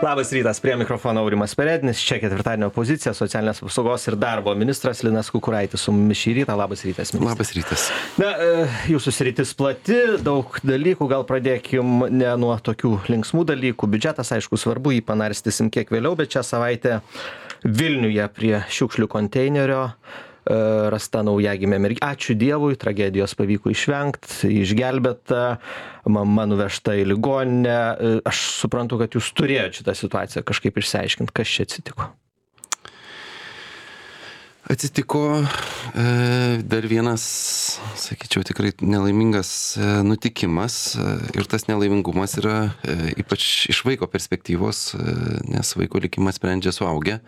Labas rytas, prie mikrofono Aurimas Perednis, čia ketvirtadienio pozicija, socialinės apsaugos ir darbo ministras Linas Kukuraitis su mumis šį rytą. Labas rytas, ministras. Labas rytas. Na, jūsų sritis plati, daug dalykų, gal pradėkim ne nuo tokių linksmų dalykų. Biudžetas, aišku, svarbu, jį panarstysim kiek vėliau, bet šią savaitę Vilniuje prie šiukšlių konteinerio rasta naujagimė mergytė. Ačiū Dievui, tragedijos pavyko išvengti, išgelbėta, mama nuvežta į ligoninę. Aš suprantu, kad jūs turėjote šitą situaciją kažkaip išsiaiškinti, kas čia atsitiko. Atsitiko dar vienas, sakyčiau, tikrai nelaimingas nutikimas ir tas nelaimingumas yra ypač iš vaiko perspektyvos, nes vaiko likimas sprendžia suaugę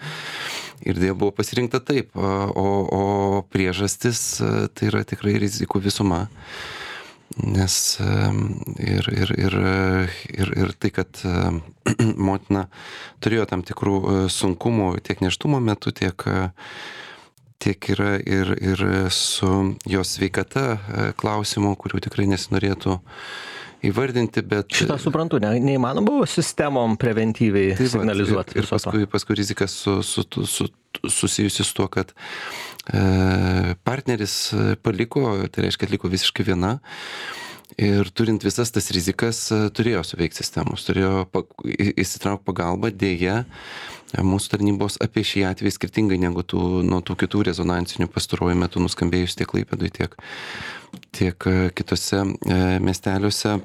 ir dėja buvo pasirinkta taip, o priežastis tai yra tikrai rizikų visuma. Nes ir tai, kad motina turėjo tam tikrų sunkumų tiek nėštumo metu, tiek yra ir su jos sveikata klausimų, kurių tikrai nesinorėtų įvardinti, bet... Šitą suprantu, neįmanoma buvo sistemom preventyviai signalizuoti. Ir paskui rizika susijusi su tuo, kad partneris paliko, tai reiškia, atliko visiškai viena. Ir turint visas tas rizikas, turėjo suveikti sistemos, turėjo įsitraukti pagalbą, dėja, mūsų tarnybos apie šį atvejį skirtingai negu nuo tų kitų rezonansinių pastaruoju metu nuskambėjus tiek Klaipėdoje, tiek kitose miesteliuose.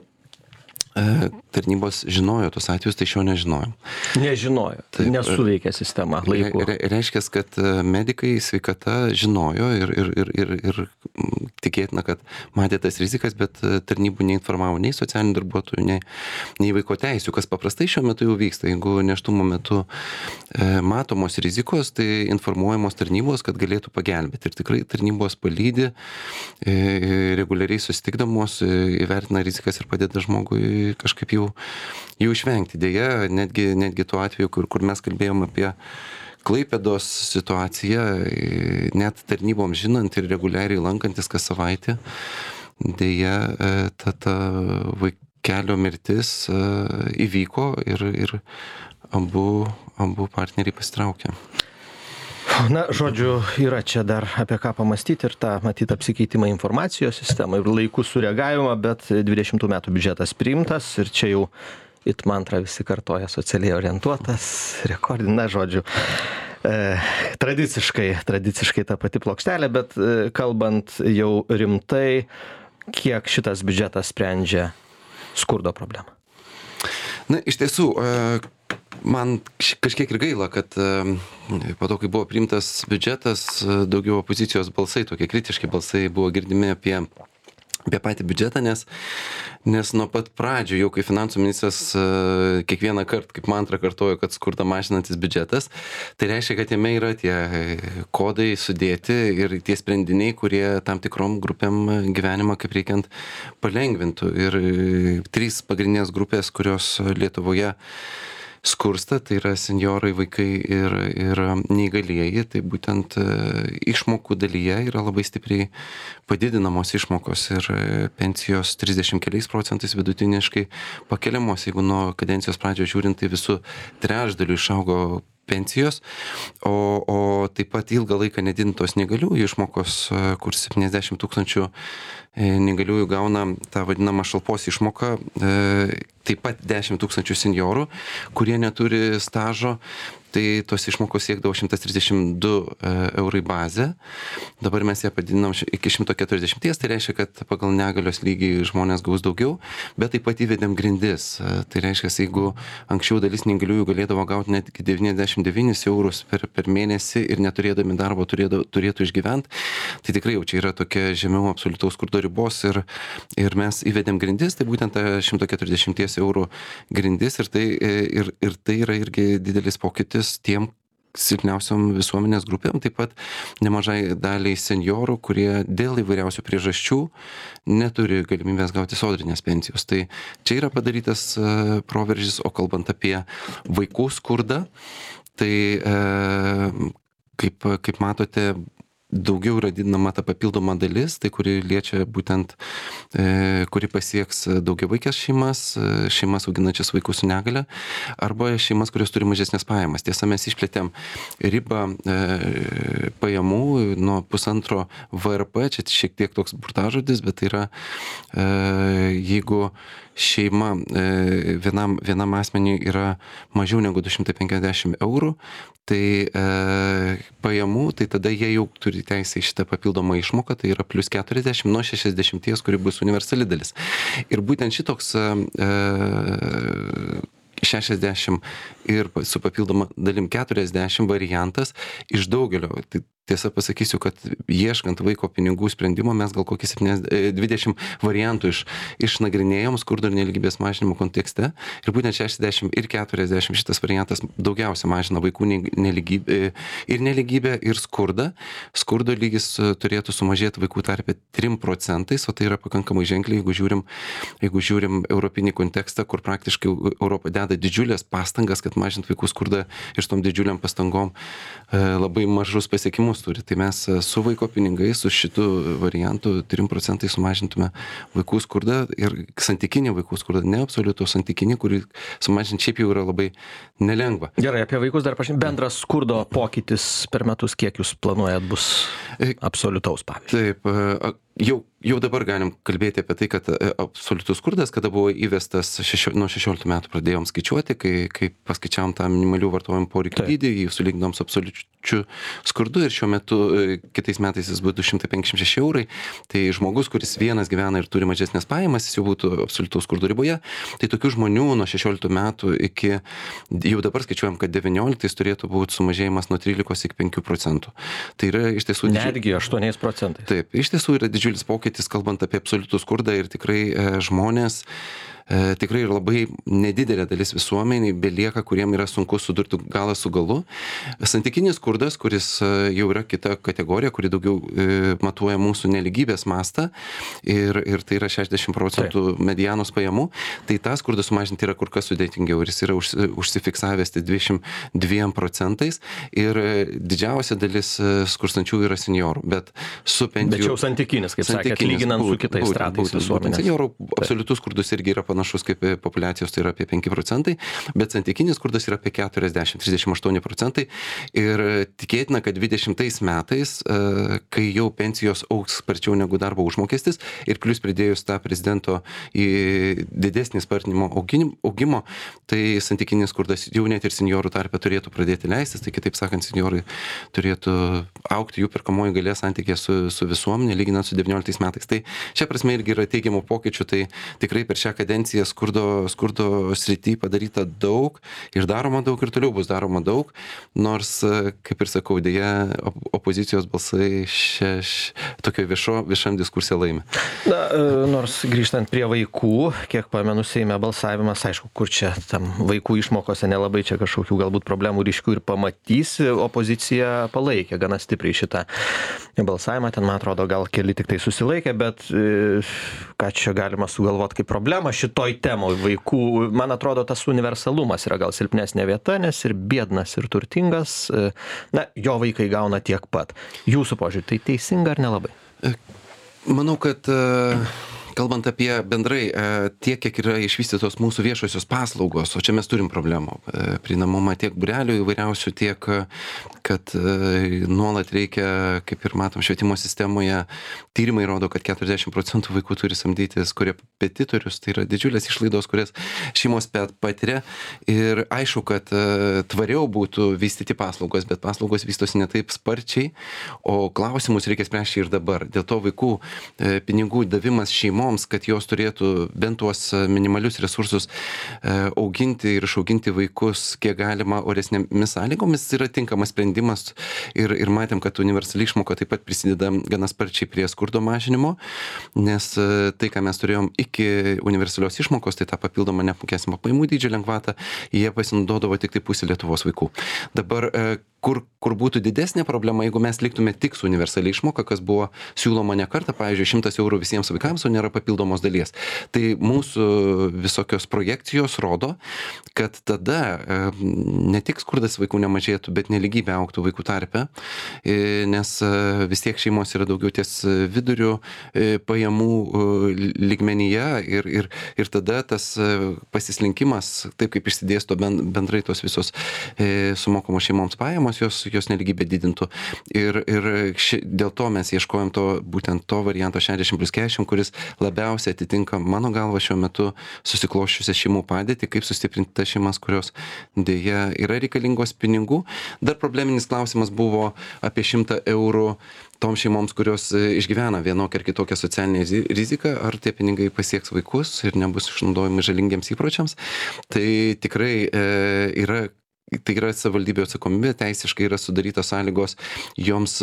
Tarnybos žinojo tos atvejus, tai šio nežinojom. Nežinojo, nesuveikė sistema laiku. Reiškia, kad medikai sveikata žinojo ir tikėtina, kad matė tas rizikas, bet tarnybų neinformavo nei socialinių darbuotojų, nei vaiko teisių, kas paprastai šiuo metu jau vyksta. Jeigu nėštumo metu matomos rizikos, tai informuojamos tarnybos, kad galėtų pagelbėti. Ir tikrai tarnybos palydi, reguliariai susitikdamos, įvertina rizikas ir padeda žmogui kažkaip jų išvengti. Deja, netgi tuo atveju, kur mes kalbėjom apie Klaipėdos situaciją, net tarnybom žinant ir reguliariai lankantis kas savaitę, deja, ta vaikelio mirtis įvyko ir abu partneriai pasitraukė. Na, žodžiu, yra čia dar apie ką pamastyti ir tą, matyt, apsikeitimą informacijos sistemą ir laikų sureagavimą, bet 20 metų biudžetas priimtas ir čia jau it mantra visi kartoja socialiai orientuotas, rekordina, žodžiu, tradiciškai ta pati plokštelė, bet kalbant jau rimtai, kiek šitas biudžetas sprendžia skurdo problemą? Na, iš tiesų, man kažkiek ir gaila, kad po to, kai buvo priimtas biudžetas, daugiau opozicijos balsai, tokie kritiški balsai buvo girdimi apie patį biudžetą, nes nuo pat pradžių, jau kai finansų ministras kiekvieną kartą, kaip mantrą kartojo, kad skurdą mažinantis biudžetas, tai reiškia, kad jame yra tie kodai sudėti ir tie sprendiniai, kurie tam tikrom grupėm gyvenimą kaip reikiant palengvintų. Ir 3 pagrindinės grupės, kurios Lietuvoje skursta, tai yra senjorai, vaikai ir neįgalieji, tai būtent išmokų dalyje yra labai stipriai padidinamos išmokos ir pensijos 30 keliais procentais vidutiniškai pakeliamos, jeigu nuo kadencijos pradžios žiūrint, tai visų trečdalių išaugo pensijos, o taip pat ilgą laiką nedidintos neįgaliųjų išmokos, kur 70 000 neįgaliųjų gauna tą vadinamą šalpos išmoką, taip pat 10 000 senjorų, kurie neturi stažo, tai tos išmokos siekdavo 132 eurai bazę. Dabar mes ją padidinam iki 140, tai reiškia, kad pagal negalios lygį žmonės gaus daugiau, bet taip pat įvedėm grindis. Tai reiškia, jeigu anksčiau dalis neįgaliųjų galėdavo gauti net iki 99 eurus per mėnesį ir neturėdami darbo turėtų išgyventi, tai tikrai jau čia yra tokia žemiau absoliutaus skurdo ribos ir mes įvedėm grindis, tai būtent 140 eurų grindis ir tai yra irgi didelis pokytis tiem silpniausiom visuomenės grupėm, taip pat nemažai daliai senjorų, kurie dėl įvairiausių priežasčių neturi galimybės gauti sodrinės pensijos. Tai čia yra padarytas proveržis, o kalbant apie vaikų skurdą, tai kaip matote, daugiau yra didinama ta papildoma dalis, tai kuri liečia būtent, kuri pasieks daugiavaikės šeimas auginančias vaikus su negale, arba šeimas, kurios turi mažesnės pajamas. Tiesa, mes išplėtėm ribą pajamų nuo 1,5 VRP, čia šiek tiek toks burtažodis, bet tai yra, jeigu šeima vienam asmeniui yra mažiau negu 250 eurų, tai pajamų, tai tada jie jau turi teisę į šitą papildomą išmoką, tai yra plus 40 nuo 60, kuri bus universali dalis. Ir būtent šitoks 60 ir su papildoma dalim 40 variantas iš daugelio. Tai tiesa pasakysiu, kad ieškant vaiko pinigų sprendimo mes gal kokį 20 variantų išnagrinėjom skurdo ir nelygybės mažinimo kontekste. Ir būtent 60 ir 40 šitas variantas daugiausia mažina vaikų nelygybę ir skurdą. Skurdo lygis turėtų sumažėti vaikų tarpe 3%, o tai yra pakankamai ženkliai, jeigu žiūrim europinį kontekstą, kur praktiškai Europa deda didžiulės pastangas, kad mažint vaikų skurdą ir su tom didžiuliam pastangom labai mažus pasiekimus turi. Tai mes su vaiko pinigais, su šitu variantu 3% sumažintume vaikų skurdą ir santykinį vaikų skurdą, ne absoliutų santykinį, kurį sumažinti šiaip jau yra labai nelengva. Gerai, apie vaikus dar bendras skurdo pokytis per metus, kiek jūs planuojat bus absoliutaus pavyzdžiui? Taip, jau dabar galim kalbėti apie tai, kad absoliutus skurdas, kada buvo įvestas nuo 16 metų pradėjom skaičiuoti, kai paskaičiavom tą minimalių vartojimo poreikių dydį, jį sulyginom su absoliučiu skurdu ir šiuo metu kitais metais jis bus 256 eurai. Tai žmogus, kuris vienas gyvena ir turi mažesnės pajamas, jis jau būtų absoliutaus skurdo riboje. Tai tokių žmonių nuo 16 metų iki, jau dabar skaičiuojam, kad 19 turėtų būti sumažėjimas nuo 13 iki 5%. Tai yra iš tiesų... Netgi 8%. Taip, iš tiesų yra didžiulis pokytis, kalbant apie absoliutų skurdą ir tikrai žmonės, tikrai ir labai nedidelė dalis visuomeniai belieka, kuriem yra sunku sudurti galą su galu. Santykinis skurdas, kuris jau yra kita kategorija, kuri daugiau matuoja mūsų nelygybės mastą ir tai yra 60% medianos pajamų, tai tą skurdą sumažinti yra kur kas sudėtingiau ir jis yra užsifiksavęs 22% ir didžiausia dalis skurstančių yra seniorų, bet su pensijų... Bet jau santykinis, kaip sakėt, lyginant su kitais stratais visuomenės. Seniorų absoliutus skurdas irgi yra panašus kaip populiacijos, tai yra apie 5%, bet santykinis skurdas yra apie 40-38% ir tikėtina, kad 20 metais, kai jau pensijos augs sparčiau negu darbo užmokestis ir plus pridėjus tą prezidento į didesnį spartinimo augimo, tai santykinis skurdas jau net ir seniorų tarpe turėtų pradėti leistis, tai kitaip sakant, seniorai turėtų augti jų perkamoji galia santykė su visuomenė, lyginant su 19 metais. Tai šia prasme irgi yra teigiamų pokyčių, tai tikrai per šią kadenciją skurdo srity padaryta daug ir daroma daug ir toliau bus daroma daug, nors, kaip ir sakau, dėja opozicijos balsai tokio viešam diskursė laimi. Na, nors grįžtant prie vaikų, kiek pamenu, Seime balsavimas, aišku, kur čia tam vaikų išmokose nelabai čia kažkokių galbūt problemų ryškių ir pamatysi, opozicija palaikė gana stipriai šitą balsavimą, ten, man atrodo, gal keli tik tai susilaikė, bet ką čia galima sugalvoti kaip problemą šitoj temoj vaikų, man atrodo, tas universalumas yra gal silpnesnė vieta, nes ir biednas, ir turtingas, na, jo vaikai gauna tiek pat. Jūsų požiūrį, tai teisinga ar nelabai? Manau, kad kalbant apie bendrai tiek, kiek yra išvystytos mūsų viešosios paslaugos, o čia mes turim problemų. Prieinamumą tiek būrelių įvairiausių, tiek, kad nuolat reikia, kaip ir matom švietimo sistemoje, tyrimai rodo, kad 40% vaikų turi samdytis korepetitorius, tai yra didžiulės išlaidos, kurias šeimos patiria. Ir aišku, kad tvariau būtų vystyti paslaugos, bet paslaugos vystosi ne taip sparčiai, o klausimus reikia spręsti ir dabar. Dėl to vaikų pinigų davimas šeimoms, kad jos turėtų bent tuos minimalius resursus auginti ir išauginti vaikus kiek galima oresnėmis sąlygomis, yra tinkamas sprendimas ir matėm, kad universali išmoka taip pat prisideda gana sparčiai prie skurdo mažinimo, nes tai, ką mes turėjom iki universalios išmokos, tai tą papildomą neapmokestinamą pajamų dydžio lengvatą, jie pasinaudodavo tik tai pusė Lietuvos vaikų. Dabar kur būtų didesnė problema, jeigu mes liktume tik su universaliai išmoka, kas buvo siūloma ne kartą, pavyzdžiui, 100 eurų visiems vaikams, o nėra papildomos dalies. Tai mūsų visokios projekcijos rodo, kad tada ne tik skurdas vaikų nemažėtų, bet nelygybė augtų vaikų tarpe, nes vis tiek šeimos yra daugiau ties vidurių pajamų lygmenyje ir tada tas pasislinkimas, taip kaip išsidėsto bendrai tos visos sumokamos šeimoms pajamos, jos nelygybė didintų. Ir dėl to mes ieškojom būtent to varianto 60+40, kuris labiausiai atitinka mano galva šiuo metu susikloščiusią šeimų padėtį, kaip sustiprinti tas šeimas, kurios dėja yra reikalingos pinigų. Dar probleminis klausimas buvo apie 100 eurų toms šeimoms, kurios išgyvena vienokią ar kitokią socialinę riziką, ar tie pinigai pasieks vaikus ir nebus išnaudojami žalingiems įpročiams. Tai tikrai yra savivaldybių atsakomybė, teisiškai yra sudarytos sąlygos joms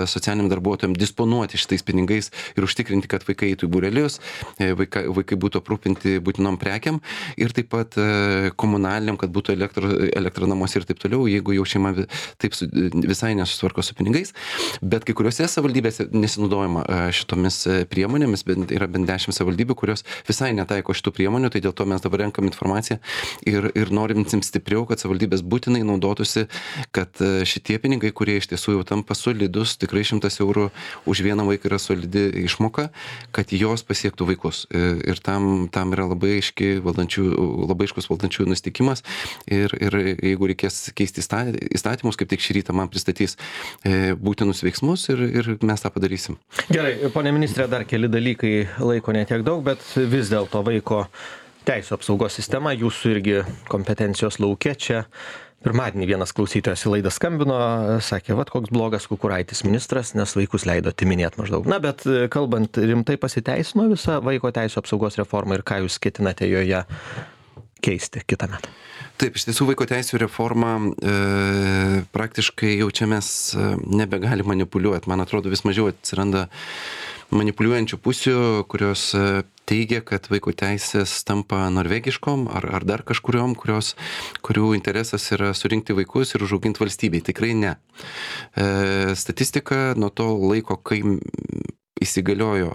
socialiniam darbuotojams disponuoti šitais pinigais ir užtikrinti, kad vaikai eitų į būrelius, vaikai būtų aprūpinti būtinom prekiam ir taip pat komunaliniam, kad būtų elektra namuose ir taip toliau, jeigu jau šeima taip visai nesusitvarko su pinigais. Bet kai kuriuose savivaldybėse nesinaudojama šitomis priemonėmis, yra bent 10 savivaldybių, kurios visai netaiko šitų priemonių, tai dėl to mes dabar renkam informaciją ir norim stipriau, kad savivaldybės būtinai naudotųsi, kad šitie pinigai, kurie iš tiesų jau tampa solidus, tikrai 100 eurų už vieną vaiką yra solidi išmoka, kad jos pasiektų vaikus. Ir tam yra labai aiškus valdančiųjų nusiteikimas ir jeigu reikės keisti įstatymus, kaip tik šį rytą man pristatys būtinus veiksmus ir mes tą padarysim. Gerai, ponė ministrė, dar keli dalykai, laiko netiek daug, bet vis dėlto vaiko teisų apsaugos sistema jūsų irgi kompetencijos lauke. Čia pirmadienį vienas klausytojas į laidą skambino, sakė, vat koks blogas Kukuraitis ministras, nes vaikus leido atiminėti maždaug. Na, bet kalbant rimtai, pasiteisino visa vaiko teisų apsaugos reforma ir ką jūs ketinate joje keisti kitąmet? Taip, iš tiesų vaiko teisų reforma praktiškai jau čia mes nebegali manipuliuoti. Man atrodo, vis mažiau atsiranda manipuliuojančių pusių, kurios teigia, kad vaiko teisės tampa norvegiškom ar dar kažkuriom, kurių interesas yra surinkti vaikus ir užauginti valstybei. Tikrai ne. Statistika nuo to laiko, kai įsigaliojo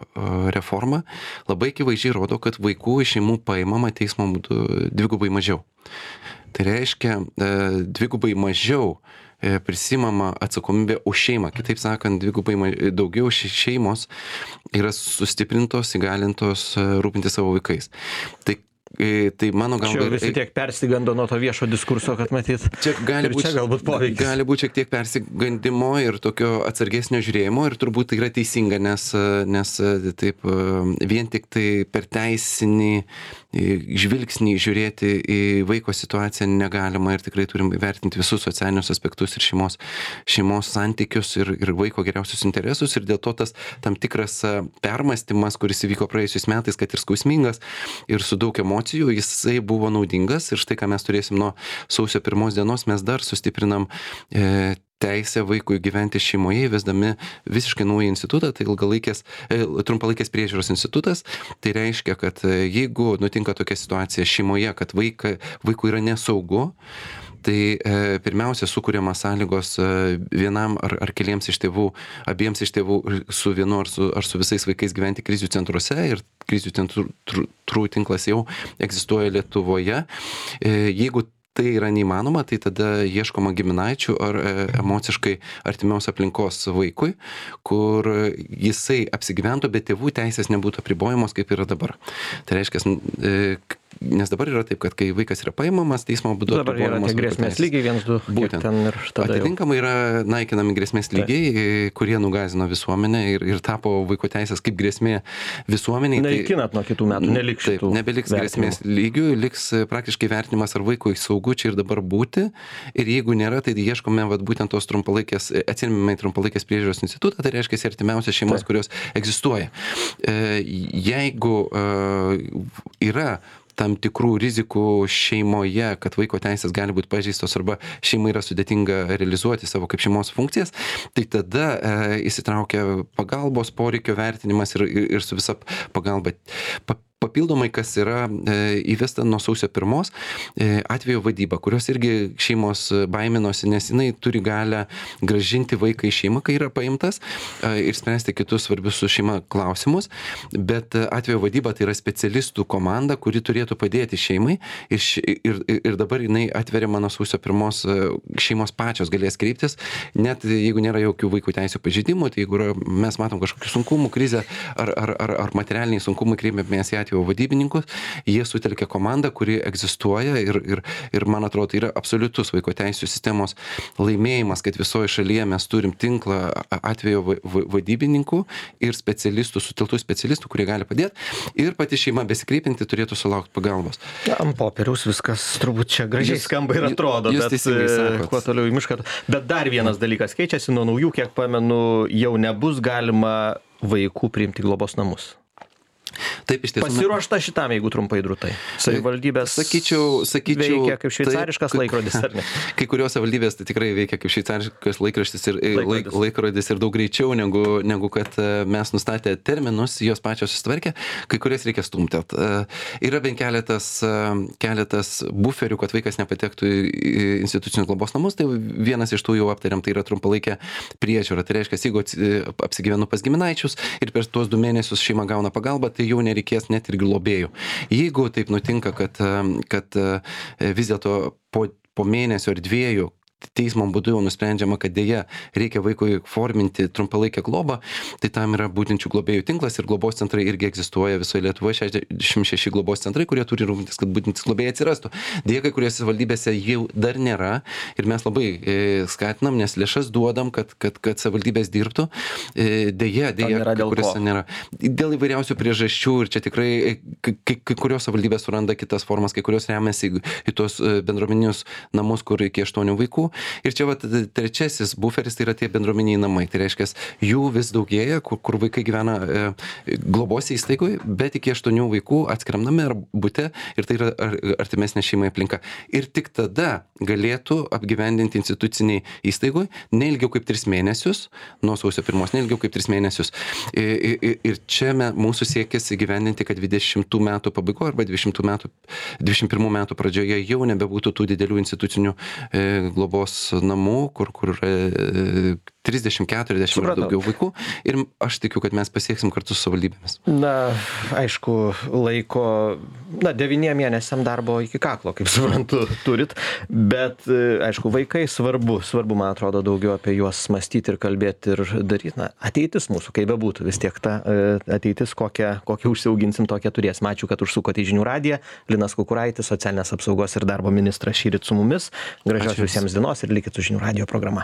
reforma, labai akivaizdžiai rodo, kad vaikų iš šeimų paimama teismo būdu dvigubai mažiau. Tai reiškia, dvigubai mažiau prisimama atsakomybė už šeimą. Kitaip sakant, dvigubai daugiau šeimos yra sustiprintos, įgalintos rūpinti savo vaikais. Tai mano galva... Čia visi tiek persigando nuo to viešo diskurso, kad matyt, čia galbūt poveikis. Gali būti šiek tiek persigandimo ir tokio atsargesnio žiūrėjimo ir turbūt tai yra teisinga, nes taip vien tik tai per teisinį žvilgsnį žiūrėti į vaiko situaciją negalima ir tikrai turim įvertinti visus socialinius aspektus ir šeimos santykius ir vaiko geriausius interesus ir dėl to tas tam tikras permąstymas, kuris įvyko praėjusiais metais, kad ir skausmingas ir su daug emocijų, jisai buvo naudingas ir štai ką mes turėsim nuo sausio 1 dienos, mes dar sustiprinam teisę vaikui gyventi šeimoje, įvesdami visiškai naują institutą, tai trumpalaikės priežiūros institutas. Tai reiškia, kad jeigu nutinka tokia situacija šeimoje, kad vaikui yra nesaugu, tai pirmiausia sukuriamas sąlygos vienam ar keliems iš tėvų, abiems iš tėvų su vienu ar su visais vaikais gyventi krizių centruose ir krizių centrų tinklas jau egzistuoja Lietuvoje. Jeigu tai yra neįmanoma, tai tada ieškoma giminaičių ar emociškai artimiaus aplinkos vaikui, kur jisai apsigyventų, bet tėvų teisės nebūtų apribojamos, kaip yra dabar. Tai reiškia, nes dabar yra taip, kad kai vaikas yra paimamas, teismo būdu dabar yra tie grėsmės lygiai 1-2. Būtent. Atitinkamai yra naikinami grėsmės lygiai, kurie nugazino visuomenę ir tapo vaiko teisės kaip grėsmė visuomeniai. Naikinat nuo kitų metų, neliks šitų. Taip, nebeliks grėsmės lygių, liks praktiškai vertinimas, ar vaikui saugu čia ir dabar būti. Ir jeigu nėra, tai ieškome būtent tos atsiėmimai trumpalaikės priežiūros institutą, tai reiškia artimiausias šeimas, kurios egzistuoja. Jeigu yra tam tikrų rizikų šeimoje, kad vaiko teisės gali būti pažeistos arba šeimai yra sudėtinga realizuoti savo kaip šeimos funkcijas, tai tada įsitraukia pagalbos poreikio vertinimas ir su visa pagalba papildomai, kas yra įvesta nuo sausio 1, atvejo vadyba, kurios irgi šeimos baiminosi, nes jinai turi galę grąžinti vaiką į šeimą, kai yra paimtas, ir spręsti kitus svarbius su šeima klausimus, bet atvejo vadyba tai yra specialistų komanda, kuri turėtų padėti šeimai ir dabar jinai atveriama nuo sausio 1, šeimos pačios galės kreiptis, net jeigu nėra jokių vaikų teisių pažeidimų, tai jeigu mes matom kažkokių sunkumų, krizę ar materialiniai sunkumai, kreipiamės į atvejo vadybininkus, jie sutelkia komandą, kuri egzistuoja ir man atrodo, tai yra absoliutus vaiko teisių sistemos laimėjimas, kad visoje šalyje mes turim tinklą atvejo vadybininkų ir specialistų, suteltų specialistų, kurie gali padėti, ir pati šeima besikreipinti turėtų sulaukti pagalbos. Ant popieriaus viskas turbūt čia gražiai skamba ir atrodo, bet kuo toliau į mišką. Bet dar vienas dalykas keičiasi, nuo naujų, kiek pamenu, jau nebus galima vaikų priimti į globos namus. Taip, iš tiesų. Pasiruošta šitam, jeigu trumpai drūtai. Savivaldybės sakyčiau, veikia kaip šveicariškas laikrodis, ar ne? Kai kurios savivaldybės tai tikrai veikia kaip šveicariškas laikrodis ir daug greičiau, negu kad mes nustatę terminus, jos pačios susitvarkė, kai kurias reikia stumtelt. Yra bent keletas buferių, kad vaikas nepatektų į institucinius globos namus, tai vienas iš tų jau aptariam, tai yra trumpalaikė priežiūra. Tai reiškia, jeigu apsigyvenu pas giminaičius ir per tuos 2 mėnesius šeima gauna pagalbą, tai jau nereikės net ir globėjų. Jeigu taip nutinka, kad vis dėlto po mėnesio ar 2 teismo būdu jau nusprendžiama, kad dėja reikia vaikui forminti trumpalaikę globą, tai tam yra būtinčių globėjų tinklas ir globos centrai irgi egzistuoja visoje Lietuvoje, 66 globos centrai, kurie turi rūpintis, kad būtintis globėjai atsirastų. Dėja, kai kuriuose valdybėse jau dar nėra ir mes labai skatinam, nes lėšas duodam, kad savivaldybės dirbtų. Dėja, kai kuriuose nėra. Dėl įvairiausių priežasčių ir čia tikrai kai kurios savivaldybės suranda kitas formas, kai kurios remiasi į tuos bendruomeninius namus, kur iki 8 vaikų. Ir čia trečiasis buferis, tai yra tie bendruomeniai namai. Tai reiškia, jų vis daugėja, kur vaikai gyvena globos įstaigoje, bet iki 8 vaikų atskiram name ar bute, ir tai yra artimesnė šeimai aplinka. Ir tik tada galėtų apgyvendinti instituciniai įstaigoje neilgiau kaip 3 mėnesius, nuo sausio 1, neilgiau kaip 3 mėnesius. Ir čia mūsų siekis įgyvendinti, kad 20 metų pabaigoje arba 21 metų pradžioje jau nebebūtų tų didelių institucinių globos namų, kur 30-40 ir daugiau vaikų. Ir aš tikiu, kad mes pasieksim kartu su savivaldybėmis. Na, aišku, laiko, 9 mėnesiam darbo iki kaklo, kaip suprantu, turit, bet, aišku, vaikai svarbu, man atrodo, daugiau apie juos mąstyti ir kalbėti ir daryti. Na, ateitis mūsų, kaip bebūtų, vis tiek ta ateitis, kokią užsiauginsim, tokią turėsim. Ačiū, kad užsukote į Žinių radiją. Linas Kukuraitis, socialinės apsaugos ir darbo ministras šįryt su mumis. Gražios visiems dienos ir likit su Žinių radijo programa.